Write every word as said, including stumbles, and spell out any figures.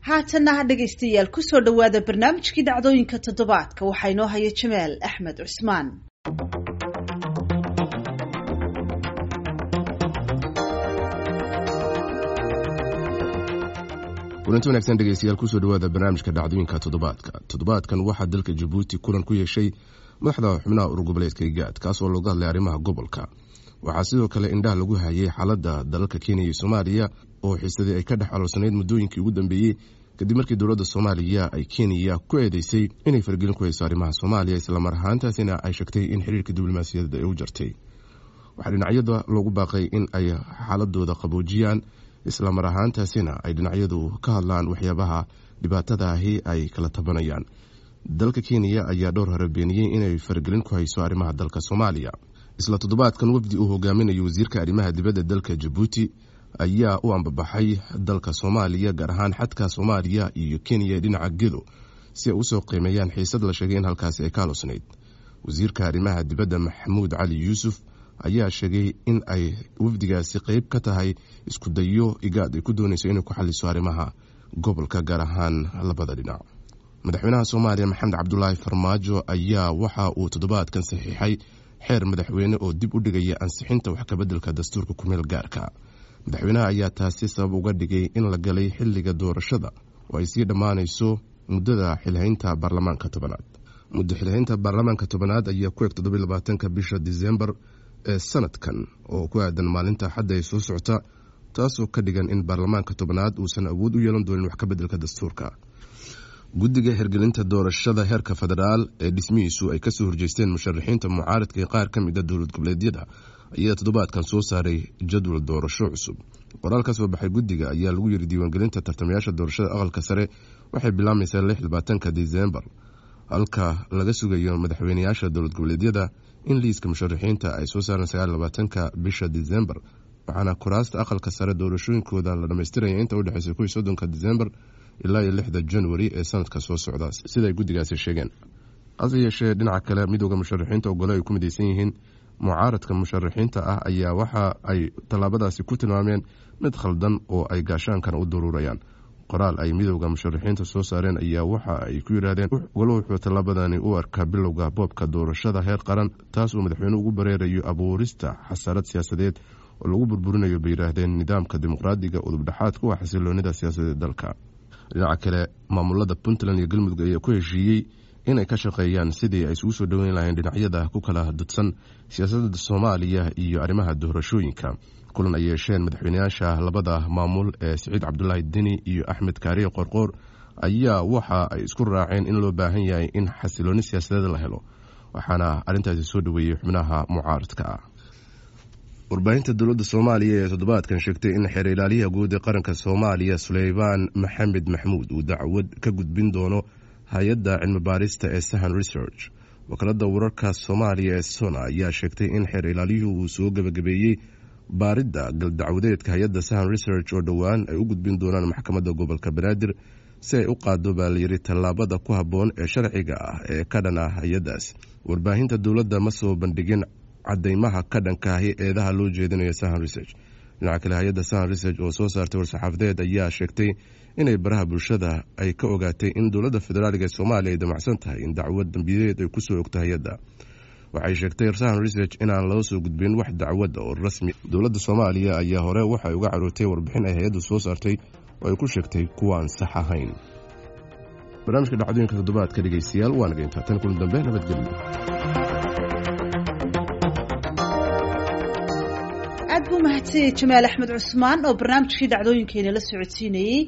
Haatanna ha dhegaystayaal, kusoo dhowaada barnaamijkii dhacdooyinka toddobaadka. Waxaa inoo haya Jamaal Axmed Cusmaan. Kulanti wanaagsan dhegeystayaal, kusoo dhawaada barnaamijka dhacdooyinka toddobaadka. Toddobaadkan waxaa dalka Jabuuti kulan ku yeeshay madaxda xubnaha urur goboleedka IGAD, kaas oo looga hadlay arrimaha gobolka. Waxaa sidoo kale indhaha lagu hayay xaaladda dalalka Kenya iyo Soomaaliya oo xiisadii ay ka dhex aloolsanayd muddooyinkii ugu dambeeyey, kadib markii dowladda Soomaaliya ay Kenya ku eedeysay inay fargelin ku hayso arrimaha Soomaaliya, islamar ahaantaasina ay sheegtay in xiriirka diblomaasiyadeed ay u jartay. Waxaa dhinacyada loogu baaqay in ay xaaladooda qaboojiyaan, islamar ahaantaasina ay dhinacyadu ka hadlaan waxyaabaha dhibaatadaahi ay kala tabanayaan. Dalka Kenya ayaa dhowr hore beeniyey inay faragelin ku hayso arrimaha dalka Soomaaliya. Isla toddobaadkan wafdi uu hogaaminayo wasiirka arrimaha dibadda dalka Jabuuti ayaa u ambabaxay dalka Soomaaliya, gaar ahaan xadka Soomaaliya iyo Kenya dhinaca Gedo, si ay usoo qiimeeyaan xiisad la sheegay in halkaasi ay ka aloosnayd. Wasiirka arrimaha dibadda Maxamuud Cali Yuusuf ayaa sheegay in ay wafdigaasi qeyb ka tahay isku dayo IGAD ay ku doonayso inay ku xaliso arrimaha gobolka, gaar ahaan labada dhinac. Madaxweynaha Soomaaliya Maxamed Cabdulaahi Farmaajo ayaa waxa uu toddobaadkan saxiixay xeer madaxweyne oo dib u dhigaya ansixinta wax kabeddelka dastuurka kumeel gaarka. Madaxweynaha ayaa taasi sabab uga dhigay in la galay xilliga doorashada oo ay sii dhammaanayso muddada xilhaynta baarlamaanka tobanaad. Muddo xilhaynta baarlamaanka tobanaad ayaa ku eg toddobiy labaatanka bisha Disembar ee sanadkan, oo ku aadan maalinta xadda ay soo socota, taasoo ka dhigan in baarlamaanka tobanaad uusan awood u yeelan doonin wax kabeddelka dastuurka. Guddiga hirgelinta doorashada heerka federaal ee dhismihiisu ay kasoo horjeesteen musharaxiinta mucaaradka ee qaar ka mid a dowlad goboleedyada ayaa toddobaadkan soo saaray jadwal doorasho cusub. Qoraal ka soo baxay guddiga ayaa lagu yiri diiwaangelinta tartamayaasha doorashada aqalka sare waxay bilaamaysaa lix labaatanka Disembar, halka laga sugayo madaxweyneyaasha dowlad goboleedyada in liiska musharaxiinta ay soo saareen sagaal labaatanka bisha Disembar, waxaana kuraasta aqalka sare doorashooyinkooda la dhamaystiraya inta udhexeysa kow iyo soddonka Disembar ilaa iyo lixda Januari ee sanadka soo socda, siday guddigaasi sheegeen. Hase yeeshee dhinaca kale, midooda musharaxiinta ogole ay ku mideysan yihiin mucaaradka musharaxiinta ah ayaa waxa ay tallaabadaasi ku tilmaameen mid khaldan oo ay gaashaankana u daruurayaan. Qoraal ay midooda musharaxiinta soo saareen ayaa waxa ay ku yidhaahdeen golo wuxuu tallaabadani u arkaa bilowga boobka doorashada heer qaran, taas uu madaxweyne ugu bareerayo abuurista xasarad siyaasadeed oo lagu burburinayo, bay yidhaahdeen, nidaamka dimuqraadiga udubdhexaadka u ah xasiloonida siyaasadeed dalka. Dhinaca kale, maamulada Puntland iyo Galmudug ayaa ku heshiiyey inay ka shaqeeyaan sidii ay isugu soo dhoweyn lahayn dhinacyada ku kala dudsan siyaasadda Soomaaliya iyo arrimaha doorashooyinka. Kulan ay yeesheen madaxweyneyaasha labada maamul ee Siciid Cabdulaahi Deni iyo Axmed Kaariye Qorqoor ayaa waxa ay isku raaceen in loo baahan yahay in xasilooni siyaasadeed la helo, waxaana arrintaasi soo dhoweeyey xubnaha mucaaradka ah. Warbaahinta dowladda Soomaaliya ee toddobaadkan sheegtay in xeer ilaaliyaha guud ee qaranka Soomaaliya Suleymaan Maxamed Maxmuud uu dacwad ka gudbin doono hay-adda cilmi baarista ee Sahan Research. Wakaalada wararka Soomaaliya ee SONA ayaa sheegtay in xeer ilaaliyuhu uu soo gebagabeeyey baaridda galdacwadeedka hay-adda Sahan Research oo dhowaan ay u gudbin doonaan maxkamadda gobolka Banaadir si ay u qaado, baa layidhi, tallaabada ku habboon ee sharciga ah ee ka dhan ah hay-addaas. Warbaahinta dowladda ma soo bandhigin cadeymaha ka dhankaahi eedaha loo jeedinayo Sahan Research. Dhinaca kale, hay-adda Sahan Research oo soo saartay war-saxaafadeed ayaa sheegtay inay baraha bulshada ay ka ogaatay in dowladda federaaliga ee Soomaaliya ay damacsan tahay in dacwad dambiyeed ay kusoo ogto hay-adda. Waxay sheegtay Sahan Research inaan loo soo gudbin wax dacwad oo rasmi. Dowladda Soomaaliya ayaa hore waxay uga carootay warbixin ay hay-addu soo saartay oo ay ku sheegtay kuwaan sax ahayn. Barnaamijka dhacdooyinka toddobaadka dhegeystayaal waa naga intaa, tan kulan dambe, nabadgelyo. Aad buu mahadsanyay Jamaal Axmed Cusmaan oo barnaamijkii dhacdooyinkeena la socodsiinayey.